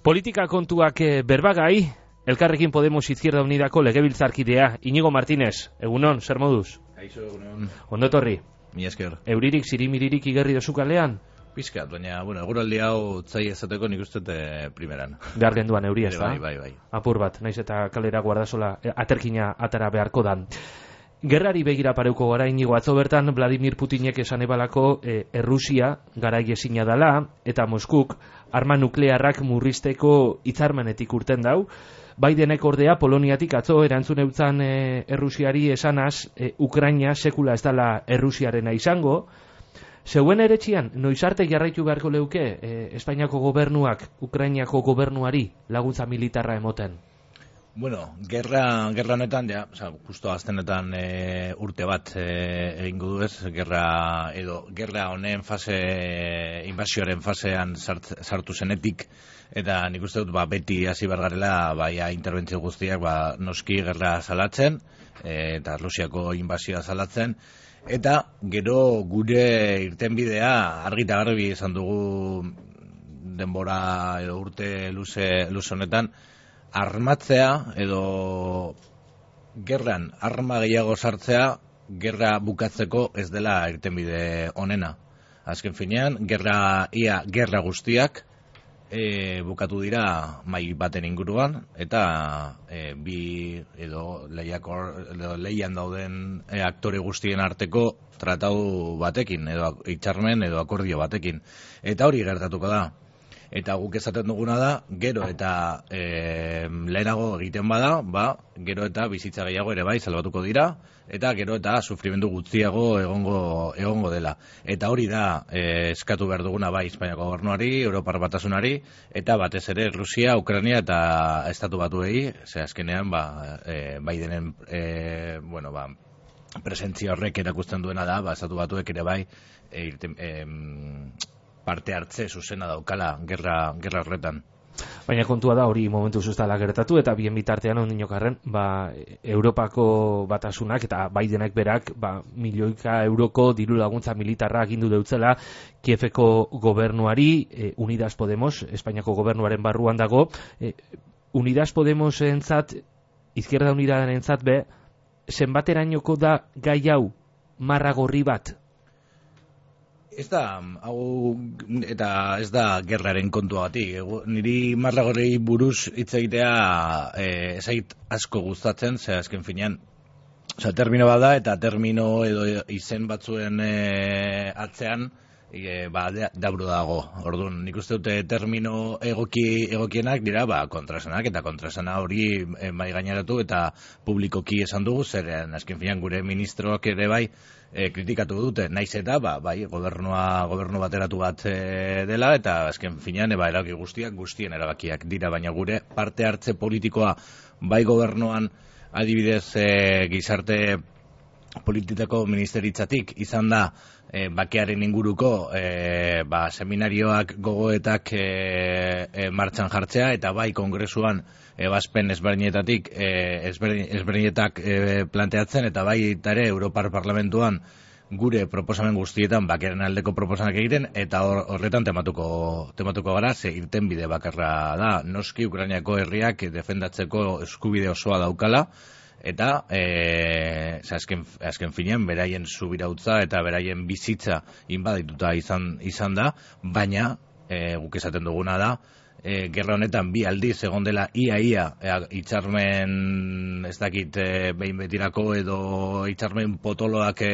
Politika kontuak berbagai, Elkarrekin Podemos Izquierda Unidako legebiltzarkidea, Iñigo Martínez, egunon, zer moduz? Aixo, egunon. Ondo etorri? Mi esker. Euririk, zirimiririk igerri dozu kalean? Piskat, baina, eguraldi hau tzai ezateko nik uste primeran. Behar genduan euria, ez da? Bai. Apur bat, naiz eta kalera guardasola aterkina atara beharko dan. Gerrari begira pareuko gara, Iñigo, atzo bertan Vladimir Putinek esan ebalako Errusia garai ezina dala eta Moskuk arma nuklearrak murrizteko hitzarmenetik urten dau. Bidenek ordea Poloniatik atzo erantzun eutzan Errusiari esanaz Ukraina sekula ez dala Errusiarena izango. Zeuen eretxian, noiz arte jarraitu beharko leuke Espainiako gobernuak Ukrainiako gobernuari laguntza militarra emoten? Bueno, gerra honetan, ja, justo aztenetan urte bat egingo du ez, gerra honen invasioaren fasean sartu zenetik, eta nik uste dut beti hasi bergarela interbentzio guztiak noski gerra salatzen, eta Rusiako invasioa salatzen, eta gero gure irtenbidea argi eta garbi izan dugu denbora edo urte luze honetan, armatzea edo gerran arma gehiago sartzea gerra bukatzeko ez dela irtenbide onena. Azken finean, gerra guztiak bukatu dira mai baten inguruan eta bi edo lehian dauden aktore guztien arteko tratatu batekin edo hitzarmen edo akordio batekin. Eta hori gertatuko da. Eta guk esaten duguna da, gero eta lehenago egiten bada, gero eta bizitza gehiago ere bai salbatuko dira, eta gero eta sufrimendu gutxiago egongo dela. Eta hori da eskatu behar duguna bai Espainiako gobernuari, Europar Batasunari, eta batez ere Rusia, Ukraina eta Estatu Batuei, azkenean Bidenen presentzia horrek erakusten duena da, Estatu Batuek ere bai parte hartze zuzena daukala gerra horretan. Baina kontua da hori momentu zuztala gertatu eta bien bitartean ondinokarren Europako Batasunak eta Bidenek berak milioika euroko diru laguntza militarra agindu deutzela Kieveko gobernuari, Unidas Podemos, Espainiako gobernuaren barruan dago, Unidas Podemos entzat, Izquierda Unidaren entzat zenbaterainoko da gai hau marra gorri bat? Ez da, eta ez da gerraren kontuagatik. Niri marragorrei buruz hitz egitea ezait asko gustatzen, azken finean, termino bat da, eta termino edo izen batzuen atzean, dabru dago. Orduan, nik uste dute termino egokienak dira, kontrasanak, eta kontrasana hori bai gaineratu eta publikoki esan dugu, zeren azken finean gure ministroak ere bai kritikatu dute, naiz eta gobernu bateratu bat dela, eta azken finean erabaki guztien erabakiak dira, baina gure parte hartze politikoa bai gobernuan adibidez gizarte politikako ministeritzatik izan da bakearen inguruko seminarioak gogoetak martxan jartzea eta bai kongresuan ebazpen ezberdinetak planteatzen eta bai ere Europar Parlamentuan gure proposamen guztietan bakearen aldeko proposamenak egiten eta horretan tematuko gara, ze irtenbide bakarra da, noski Ukrainiako herriak defendatzeko eskubide osoa daukala eta azken finean beraien subirautza eta beraien bizitza inbadituta izan da, baina guk esaten duguna da gerra honetan bi aldiz egon dela ia hitzarmen ez dakit behin betirako edo hitzarmen potoloak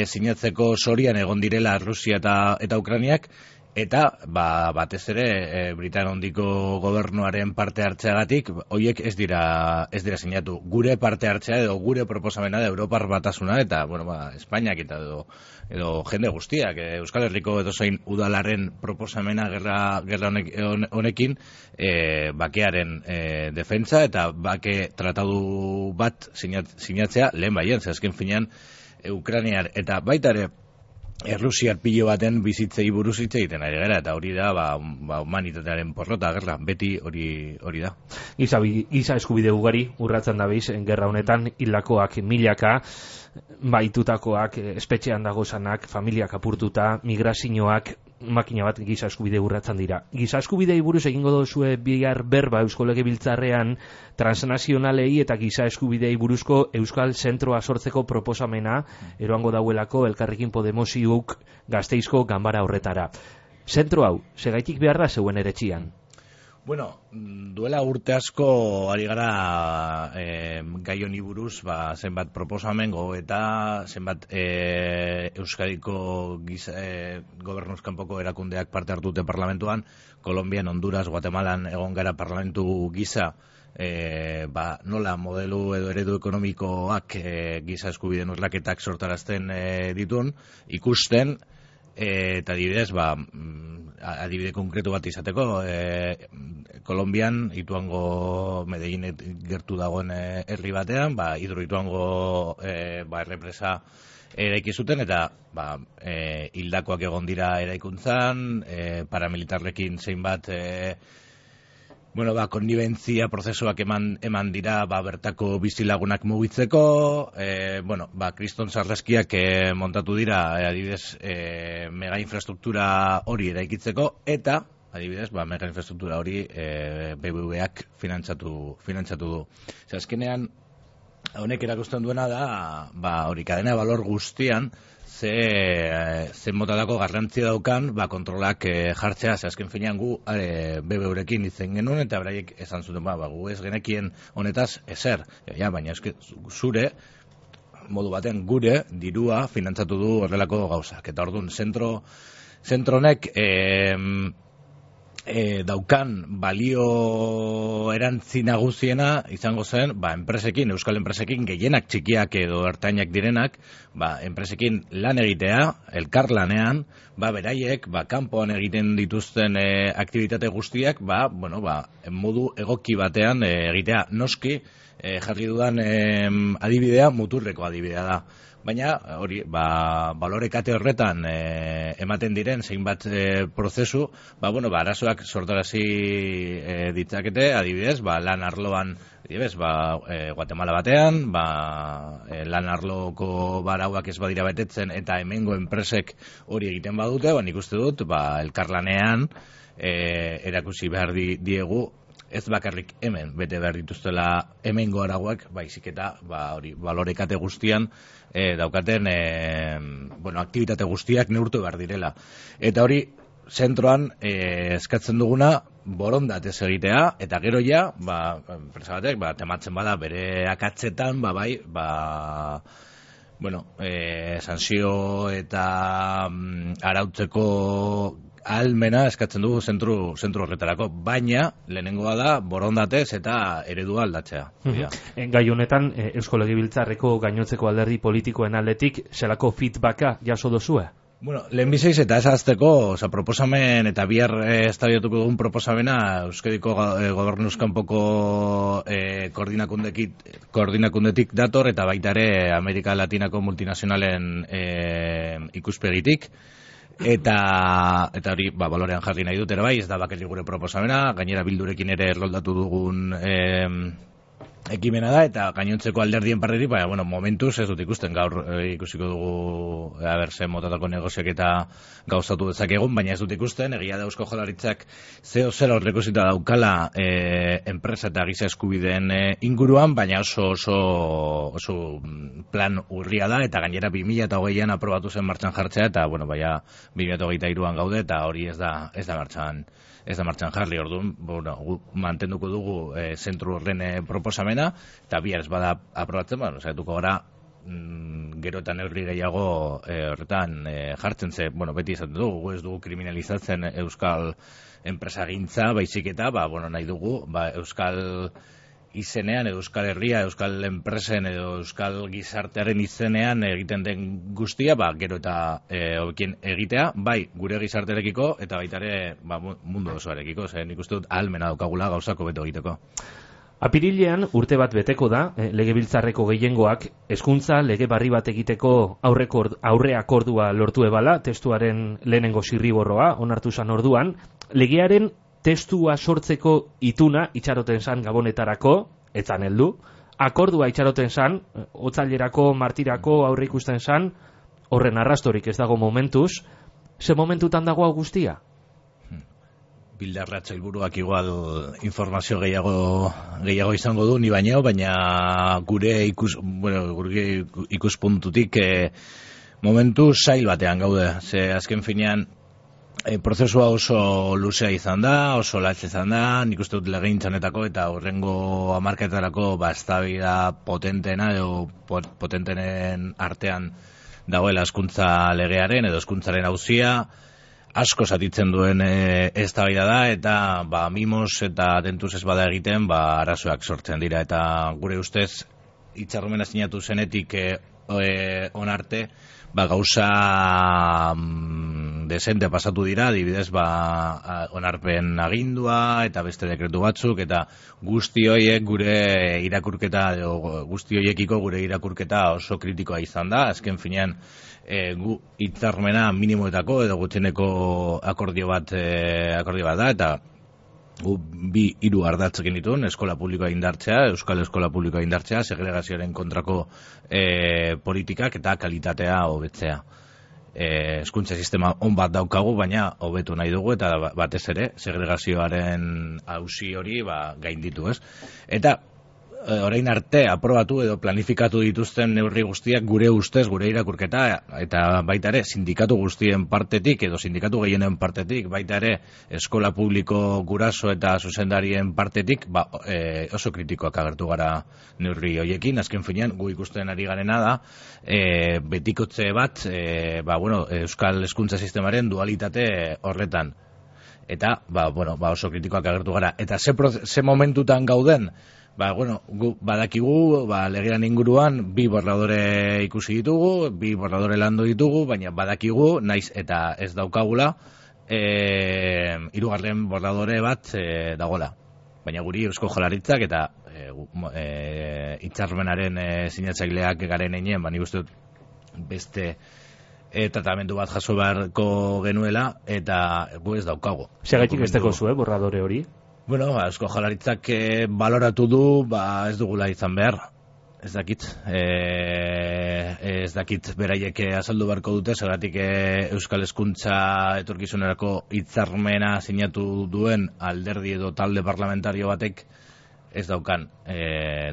sinatzeko sorian egon direla Rusia eta Ukrainiak, eta batez ere Britainia Handiko gobernuaren parte hartzeagatik horiek ez dira sinatu. Gure parte hartzea edo gure proposamena da Europar Batasuna eta Espainiak eta edo jende guztiak Euskal Herriko edozein udalaren proposamena gerra honekin bakearen defentsa eta bake tratadu bat sinatzea lehen baien, azken finean Ukrainiar eta baita ere Errusiar pilo baten bizitzei buruz hitz egiten ari gara, eta hori da humanitatearen porrota gerra, beti hori da. Giza eskubide ugari urratzen da biz, gerra honetan hildakoak milaka, baitutakoak, espetxean dagozanak, familiak apurtuta, migrazioak, makina bat giza eskubide urratzen dira. Giza eskubidei buruz egingo dozue bihar berba Eusko Legebiltzarrean transnazionalei eta giza eskubidei buruzko Euskal Zentroa sortzeko proposamena eroango dauelako Elkarrekin Podemosiuk Gasteizko ganbara horretara. Zentro hau, segaitik behar da zeuen eretxian? Bueno, duela urte asko ari gara gai honi buruz, zenbat proposamen eta zenbat Euskadiko gobernuz kanpoko erakundeak parte hartute parlamentuan, Kolonbian, Honduras, Guatemalan egon gara parlamentu gisa, nola modelu edo eredu ekonomikoak giza eskubideen urraketak sortarazten ditun, ikusten, eta adibidez, adibide konkretu bat izateko, Kolonbian, Ituango Medellin gertu dagoen herri batean, Hidro Ituango errepresa eraiki zuten, eta hildakoak egon dira eraikuntzan, paramilitarrekin zeinbat konnibentzia prozesuak eman dira bertako bizilagunak mugitzeko, kriston sarraskiak montatu dira, adibidez, mega infrastruktura hori eraikitzeko, eta, adibidez, mega infrastruktura hori BBVak finantzatu du. Azkenean, honek erakusten duena da, hori kadena balor guztian, ze motadako garrantzia daukan, kontrolak jartzea, azken finean gu BBVrekin izen genuen, eta beraiek esan zuten, gu ez genekien honetaz ezer, baina zure, modu baten gure, dirua finantzatu du horrelako gauzak. Eta orduan, zentronek daukan balio erantzi nagusiena izango zen, enpresekin, euskal enpresekin, gehienak txikiak edo ertainak direnak, enpresekin lan egitea, elkarlanean, beraiek, kanpoan egiten dituzten aktibitate guztiak, modu egoki batean egitea. Noski, jarri dudan adibidea, muturreko adibidea da. Baina, hori, balorekate horretan ematen diren zeinbat prozesu, arazoak sortarazi ditzakete, adibidez, lan arloan, adibidez, Guatemala batean, lan arloko barauak ez badira betetzen, eta hemengo enpresek hori egiten badute, nik uste dut, elkarlanean erakusi behar diegu, ez bakarrik hemen bete behar dituztela hemengo arauak, baizik eta balorekate guztian daukaten aktibitate guztiak neurtu behar direla. Eta hori, zentroan eskatzen duguna borondatez egitea, eta gero ja, enpresa batek, tematzen bada bere akatzetan, sanzio eta arautzeko ahalmena eskatzen dugu zentru horretarako, baina lehenengoa da borondatez eta eredua aldatzea. Gai honetan, Eusko Legebiltzarreko gainotzeko alderdi politikoen aldetik, zelako feedbacka jaso dozue? Lehenbizeiz eta ez azteko, proposamen eta bihar eztabaidatuko dugun proposamena Euskadiko gobernuz kanpoko koordinakundetik dator, eta baita ere Amerika Latinako multinazionalen ikuspegitik. Eta hori, balorean jarri nahi dut, ere bai, ez da bakarrik gure proposamena, gainera Bildurekin ere erroldatu dugun ekimena da, eta gainontzeko alderdien partetik, momentuz ez dut ikusten, gaur ikusiko dugu ze motatako negoziak eta gauzatu dezakegun, baina ez dut ikusten, egia da Eusko Jaurlaritzak zeo zela horrekusita daukala enpresa eta giza eskubideen inguruan, baina oso plan urria da, eta gainera 2008an aprobatu zen martxan jartzea, eta 2023an gaude, eta hori ez da martxan jarri. Orduan, mantenduko dugu zentru horren proposamena, eta bihar ez bada aprobatzen, saiatuko gara gero eta neurri gehiago horretan jartzen ze, beti izaten dugu, ez dugu kriminalizatzen euskal enpresagintza, baizik eta, nahi dugu, euskal izenean, euskal herria, euskal enpresen edo euskal gizartearen izenean egiten den guztia, gero eta hobekien egitea, bai gure gizartearekiko eta baita ere mundu osoarekiko, nik uste dut ahalmena daukagula gauzako beto egiteko. Apirilean urte bat beteko da, Legebiltzarreko gehiengoak hezkuntza lege berri bat egiteko aurre akordua lortu ebala, testuaren lehenengo zirriborroa onartu zan orduan, legearen testua sortzeko ituna itxaroten zan gabonetarako, etzan heldu, akordua itxaroten zan, otzailerako, martirako aurre ikusten zan, horren arrastorik ez dago momentuz, Ze momentutan dago guztia? Bildarratz helburuak igual informazio gehiago izango du ni baino, baina gure ikuspuntutik momentu zail batean gaude. Ze azken finean prozesua oso luzea izan da, oso latz izan da, nik uste dut legegintzanetako eta horrengo hamarketarako eztabaida potenteena edo potentenen artean dagoela hezkuntza legearen edo hezkuntzaren auzia, asko zatitzen duen eztabaida da, eta mimos eta tentuz ez bada egiten arazoak sortzen dira, eta gure ustez hitzarmena sinatu zenetik onarte gauza desente pasatu dira, adibidez onarpen agindua eta beste dekretu batzuk, eta guzti horiek gure irakurketa guzti horiekiko gure irakurketa oso kritikoa izan da. Azken finean gu hitzarmena minimoetako edo gutxieneko akordio bat da, eta gu 2-3 ardatz egin dituen, eskola publikoa indartzea, euskal eskola publikoa indartzea, segregazioaren kontrako politikak eta kalitatea hobetzea. Hezkuntza sistema on bat daukagu, baina hobetu nahi dugu, eta batez ere segregazioaren auzi hori gainditu, ez? Eta orain arte aprobatu edo planifikatu dituzten neurri guztiak gure ustez, gure irakurketa, eta baita ere sindikatu guztien partetik edo sindikatu gehienen partetik, baita ere eskola publiko guraso eta zuzendarien partetik, oso kritikoak agertu gara neurri hoiekin. Azken finean gu ikusten ari garena da betikotze bat euskal hezkuntza sistemaren dualitate horretan. Eta oso kritikoak agertu gara. Eta ze momentutan gauden? Gu badakigu, legean inguruan 2 borradore ikusi ditugu, 2 borradore landu ditugu, baina badakigu, naiz eta ez daukagula, 3. borradore bat dagola. Baina guri Eusko Jaurlaritzak eta hitzarmenaren sinatzaileak garen heinean, nik uste dut beste tratamendu bat jaso beharko genuela, eta gu ez daukagu. Segaitik besteko zuen borradore hori? Eusko Jaurlaritzak baloratu du, ez dugula izan behar. Ez dakit beraiek azaldu beharko dute, zergatik euskal hezkuntza etorkizunerako hitzarmena sinatu duen alderdi edo talde parlamentario batek ez daukan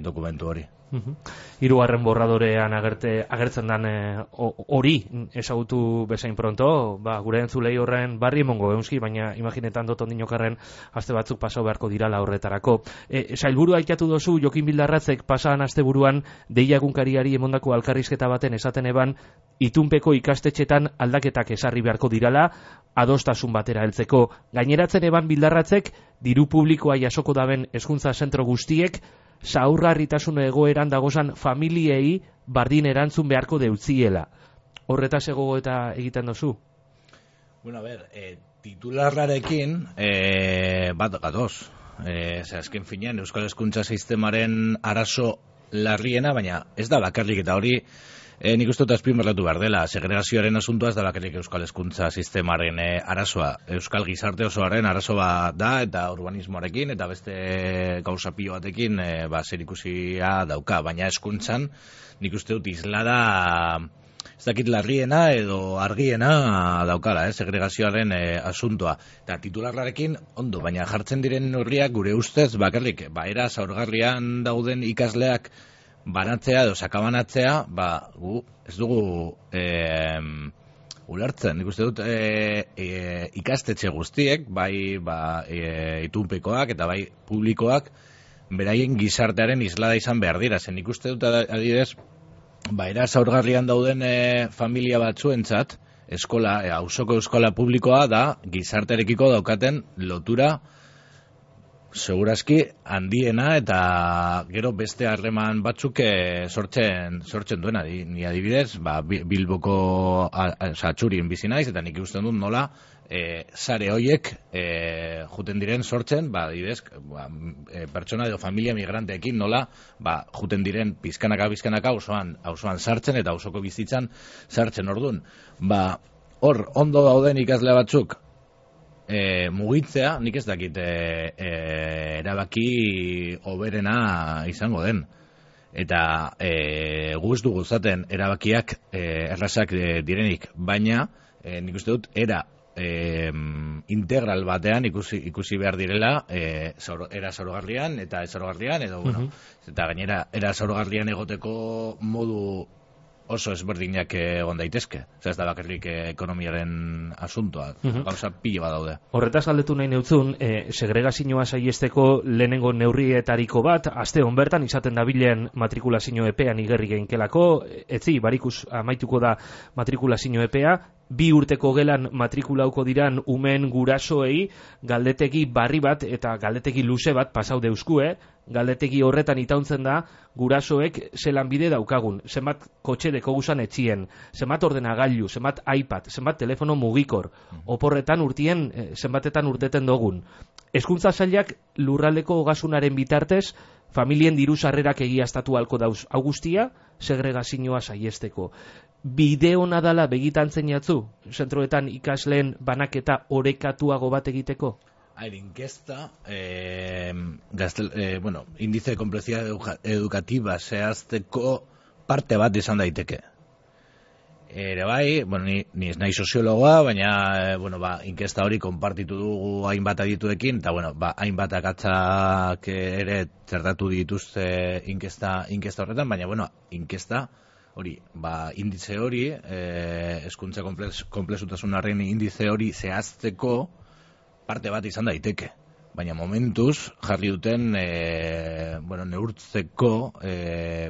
dokumentu hori. 3. borradorean agertzen dan hori ezagutu bezain pronto, gure entzulei horren barri emongo eunski, baina imaginetan dut ondinokarren aste batzuk pasau beharko dirala horretarako. Sailburua aitatu dozu, Jokin Bildarratzek pasaan asteburuan deia egunkariari emondako alkarrizketa baten esaten eban, itunpeko ikastetxetan aldaketak esarri beharko dirala, adostasun batera heltzeko. Gaineratzen eban Bildarratzek, diru publikoa jasoko daben hezkuntza zentro guztiek, zaurgarritasun egoeran dagozan familiei bardin erantzun beharko deutziela. Horretaz egogo eta egiten dozu? Titularrarekin bat gatoz. Azken finean, euskal hezkuntza sistemaren arazo larriena, baina ez da bakarrik, eta hori nik uste dut azpimarratu behar dela. Segregazioaren asuntoa ez da bakarrik euskal hezkuntza sistemaren arazoa. Euskal gizarte osoaren arazoa da, eta urbanismoarekin eta beste gauza pilo batekin zerikusia dauka, baina hezkuntzan nik uste dut islada ez dakit larriena edo argiena daukala, segregazioaren asuntoa. Eta titularrarekin ondo, baina jartzen diren neurriak gure ustez bakarrik era zaurgarrian dauden ikasleak banatzea edo sakabanatzea, gu ez dugu ulertzen. Nik uste dut ikastetxe guztiek, itunpekoak eta bai publikoak, beraien gizartearen islada izan behar dira. Nik uste dut adibidez, era zaurgarrian dauden familia batzuentzat, auzoko eskola publikoa da gizartearekiko daukaten lotura segurazki handiena, eta gero beste harreman batzuk sortzen duena. Ni adibidez, Bilboko Atxurien bizi naiz, eta nik usten dut nola sare hoiek juten diren sortzen, adibidez, pertsona edo familia migranteekin nola juten diren pizkanaka auzoan sartzen eta auzoko bizitzan sartzen. Ordun, hor ondo dauden ikasle batzuk mugitzea, nik ez dakit erabaki hoberena izango den. Eta gu ez dugu zaten erabakiak errazak direnik, baina nik uste dut, era integral batean ikusi behar direla era zaurgarrian eta ez zaurgarrian, edo, bueno, eta gainera, era zaurgarrian egoteko modu oso ezberdinak egon daitezke. Ez da bakarrik ekonomiaren asuntoa, gauza pilo bat daude. Horretaz galdetu nahi neutzun, segregazioa saiesteko lehenengo neurrietariko bat, aste hon bertan izaten dabilen matrikulazio epean igerri geinkelako, etzi, barikus amaituko da matrikulazio epea, 2 urteko gelan matrikulauko diran umen gurasoei galdetegi barri bat eta galdetegi luze bat pasau deuskue, galdetegi horretan itauntzen da gurasoek zelan bide daukagun, zenbat kotxe deko guzan etxien, zenbat ordenagailu, zenbat iPad, zenbat telefono mugikor, oporretan urtien, zenbatetan urteten dogun. Hezkuntza sailak lurraldeko ogasunaren bitartez, familien diru sarrerak egiaztatu halko dauz, hau guztia segregazioa saiesteko. Bide hona dala begitantzen jatzu, zentroetan ikasleen banaketa orekatuago bat egiteko? Inkesta, indize de complejidad educativa zehazteko parte bat izan daiteke. Ere bai, ni ez nahi soziologoa, baina inkesta hori konpartitu dugu hainbat adituekin, eta hainbat akatzak ere zertatu dituzte inkesta horretan, baina inkesta hori, indize hori, hezkuntza konplexutasunaren indize hori zehazteko parte bat izan daiteke. Baina momentuz jarri duten neurtzeko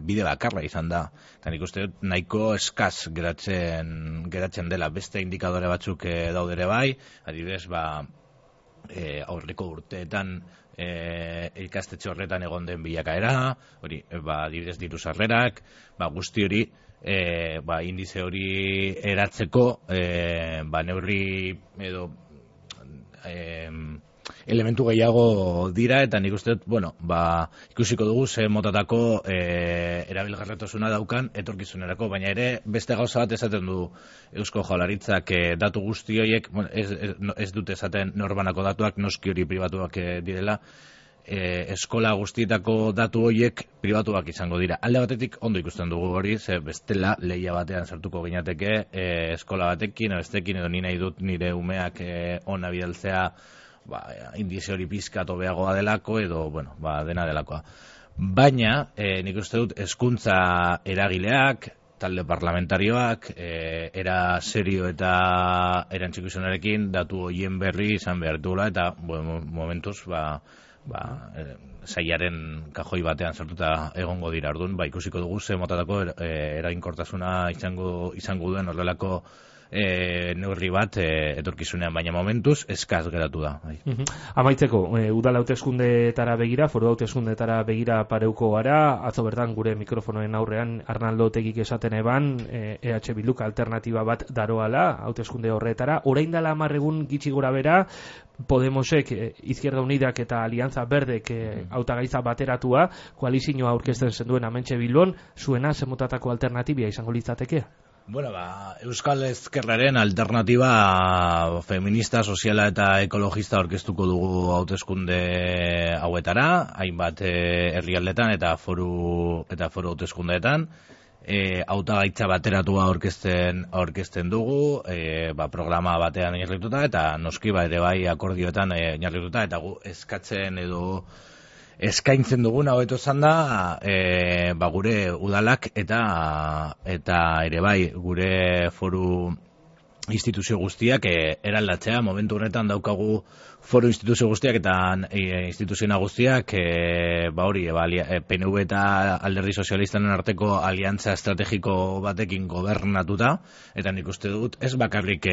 bide bakarra izan da. Eta nik uste dut nahiko eskaz geratzen dela. Beste indikadore batzuk daudere bai, adibidez aurreko urteetan ikastetxe horretan egon den bilakaera, hori, adibidez diru sarrerak, guzti hori, indize hori eratzeko, neurri edo elementu gehiago dira, eta nik uste dut, ikusiko dugu ze motatako erabilgarretasuna daukan etorkizunerako, baina ere beste gauza bat esaten du Eusko Jaurlaritzak datu guzti horiek, ez dute esaten norbanako datuak, noski hori pribatuak direla, eskola guztietako datu horiek pribatuak izango dira. Alde batetik ondo ikusten dugu hori, ze bestela lehia batean sartuko ginateke eskola batekin, bestekin, edo ni nahi dut nire umeak ona bidaltzea indize hori pizkat hobeagoa delako, edo, dena delakoa. Baina, nik uste dut, hezkuntza eragileak, talde parlamentarioak, era serio eta erantzikuzunarekin datu horien berri izan behar dugula, eta momentuz, sailaren kajoi batean sartuta egongo dira. Orduan, ikusiko dugu ze motatako eraginkortasuna izango duen horrelako neurri bat etorkizunean, baina momentuz eskaz geratu da. Amaitzeko, udal hauteskundeetara begira, foru hauteskundeetara begira pareuko gara, atzo bertan gure mikrofonoen aurrean Arnaldo Otegik esaten eban, EH Bilduk alternatiba bat daroala hauteskunde horretara, orain dela 10 egun gitxi gora bera, Podemosek, Izquierda Unidak eta Alianza Berdek hautagaitza bateratua, koalizioa aurkezten zenduen hementxe Bilbon, zuena zemotatako alternatibia izango litzateke? Euskal Ezkerraren alternatiba feminista, soziala eta ekologista aurkeztuko dugu hauteskunde hauetara, hainbat herrialdetan eta foru hauteskundeetan. Hautagaitza bateratua aurkezten dugu, programa batean oinarrituta, eta noski ere bai akordioetan oinarrituta, eta gu eskatzen edo eskaintzen duguna hobeto izan da gure udalak eta ere bai gure foru instituzio guztiak eraldatzea. Momentu honetan daukagu foru instituzio guztiak eta instituzio guztiak PNV eta Alderdi Sozialistaren arteko aliantza estrategiko batekin gobernatuta, eta nik uste dut ez bakarrik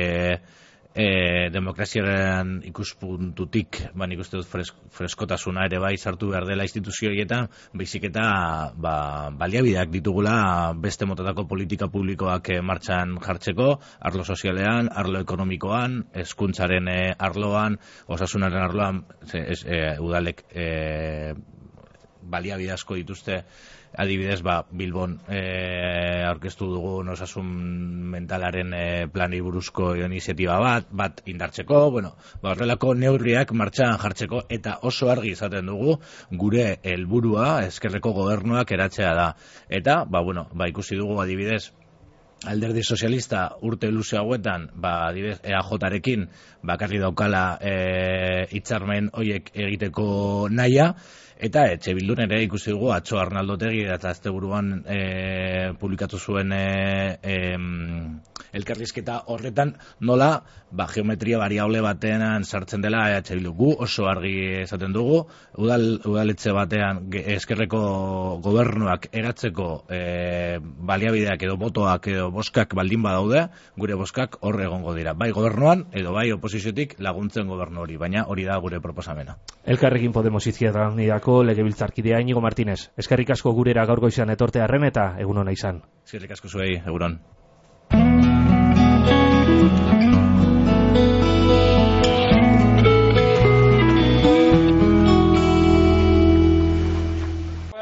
demokraziaren ikuspuntutik, nik uste dut freskotasuna ere bai sartu behar dela instituzio horietan, baizik eta baliabideak ditugula beste motatako politika publikoak martxan jartzeko, arlo sozialean, arlo ekonomikoan, hezkuntzaren arloan, osasunaren arloan, udalek baliabide asko dituzte. Adibidez, Bilbon aurkeztu dugu osasun mentalaren plani buruzko iniziatiba bat indartzeko, horrelako neurriak martxan jartzeko, eta oso argi izaten dugu gure helburua ezkerreko gobernuak eratzea da. Eta, ikusi dugu adibidez Alderdi Sozialista urte luze hauetan, adibidez, EAJarekin bakarri daukala hitzarmen hoiek egiteko nahia, eta Etxe Bildun ere ikusi dugu atzo Arnaldo Otegi eta asteburuan publikatu zuen elkarrizketa horretan nola geometria variable batean sartzen dela Etxe Bildu. Gu oso argi esaten dugu, udaletxe batean ezkerreko gobernuak eratzeko baliabideak edo botoak edo boskak baldin badaude, gure boskak hor egongo dira. Bai gobernuan edo bai oposiziotik laguntzen gobernu hori, baina hori da gure proposamena. Elkarrekin Podemos Izquierda Unidako legebiltzarkidea Iñigo Martínez. Eskerrik asko gurera gaur goizean etorte arren eta egun ona izan. Eskerrik asko zuei, egunon.